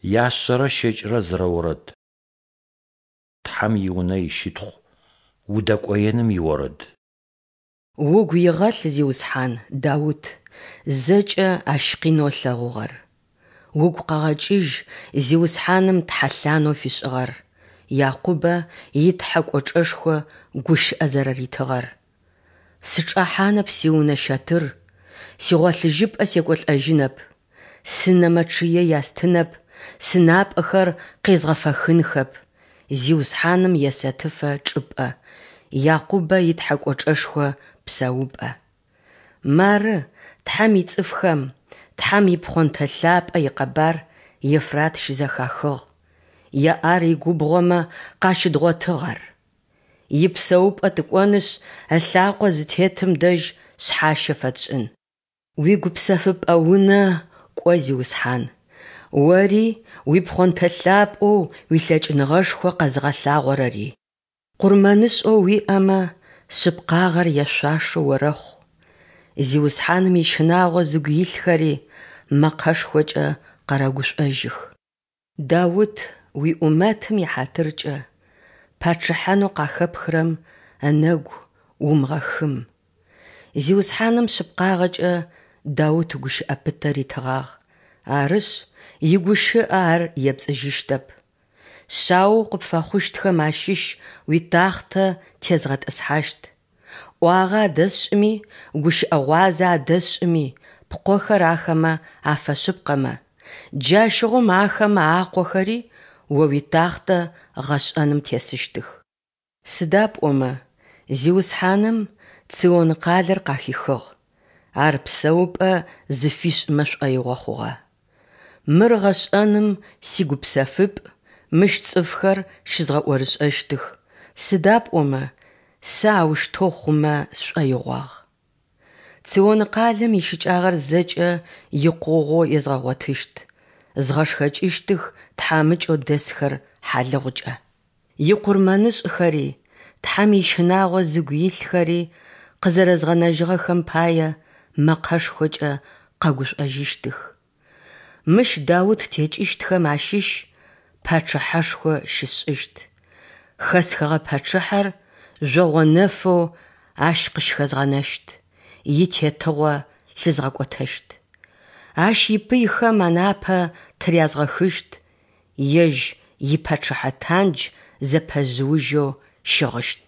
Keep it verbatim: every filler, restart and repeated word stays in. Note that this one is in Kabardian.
Яшъэрэ щэкӏырэ зырэ орэд. Тхьэм и Унэ ищытхъу, удэкӏоеным иорэд. Угу игъэлъ, Зиусхьан, Даут зэкӏэ ащ къинэу ылъэгъугъэр. Угу къэгъэкӏыжь Зиусхьаным тхьэлъанэу фишӏыгъэр, Якъубэ и Тхьэ кӏочӏэшхо гущыӏэ зэрэритыгъэр: Сычӏэхьанэп сиунэ щэтыр, сигъолъыжьыпӏэ секӏолӏэжьынэп. Сынэмэ чъые ястынэп, сынапӏэхэр къезгъэфэхынхэп, Зиусхьаным есэтыфэ чӏыпӏэ, Якъубэ и Тхьэ кӏочӏэшхо псэупӏэ. Мары Тхьэм ицӏыфхэм, Тхьэм ипхъонтэ лъапӏэ икъэбар Ефрат щызэхахыгъ, Иар игубгъомэ къащыдгъотыгъ ар. Ипсэупӏэ тыкӏонышъ, ылъакъо зытетым дэжь шъхьащэ фэтшӏын. Уигупсэфыпӏэ унэ кӏо, Зиусхьан, Ори, уипхъонтэ лъапӏэу уилъэкӏыныгъэшхо къэзыгъэлъагъорэри. Къурмэнышӏэу уиӏэмэ шъыпкъагъэр яшъуашэу орэхъу. Зиусхьаным ищынагъо зыгу илъхэри мэкъэшхокӏэ къэрэгушӏожьых. Даут уиӏумэтым ихьатыркӏэ, пачъыхьэнэу къахэпхырэм ынэгу умыгъэхым. Зиусхьаным шъыпкъагъэкӏэ Даут гущыӏэ пытэ ритыгъагъ, арышъ, игущыӏэ Ар епцӏыжьыщтэп: Шъаоу къыпфэхъущтхэм ащыщ уитахътэ тезгъэтӏысхьащт. ӏуагъэ адэсшӏыми, гущыӏэ гъуазэ адэсшӏыми, пкъохэр ахэмэ афэшъыпкъэмэ, джащыгъум ахэмэ акъохэри о уитахътэ гъэшӏэным тесыщтых. Сыда пӏомэ Зиусхьаным Цион къалэр къахихыгъ, ар псэупӏэ зыфишӏымэ шӏоигъо хъугъэ. Мыр гъэшӏэным сигупсэфыпӏ, мыщ цӏыфхэр щызгъэӏорышӏэщтых, сыда пӏомэ Сэ аущтэу хъумэ сшӏоигъуагъ. Цион къалэм ищыкӏагъэр зэкӏэ икъугъэу езгъэгъотыщт, згъэшхэкӏыщтых тхьамыкӏэу дэсхэр хьалыгъукӏэ. Икъурмэнышӏхэри, Тхьэм ищынагъо зыгу илъхэри къызэрэзгъэнэжьыгъэхэм пае мэкъэшхокӏэ къэгушӏожьыщтых. Мыщ Даут текӏыщтхэм ащыщ пачъыхьэшхо щысшӏыщт, хэсхыгъэ пачъыхьэр жъогъо нэфэу ащ къыщыхэзгъэнэщт, итетыгъо лъызгъэкӏотэщт. Ащ ипыйхэм анапэ тырязгъэхыщт, ежь ипачъыхьэ тандж зэпэжъыужьэу щыгъыщт.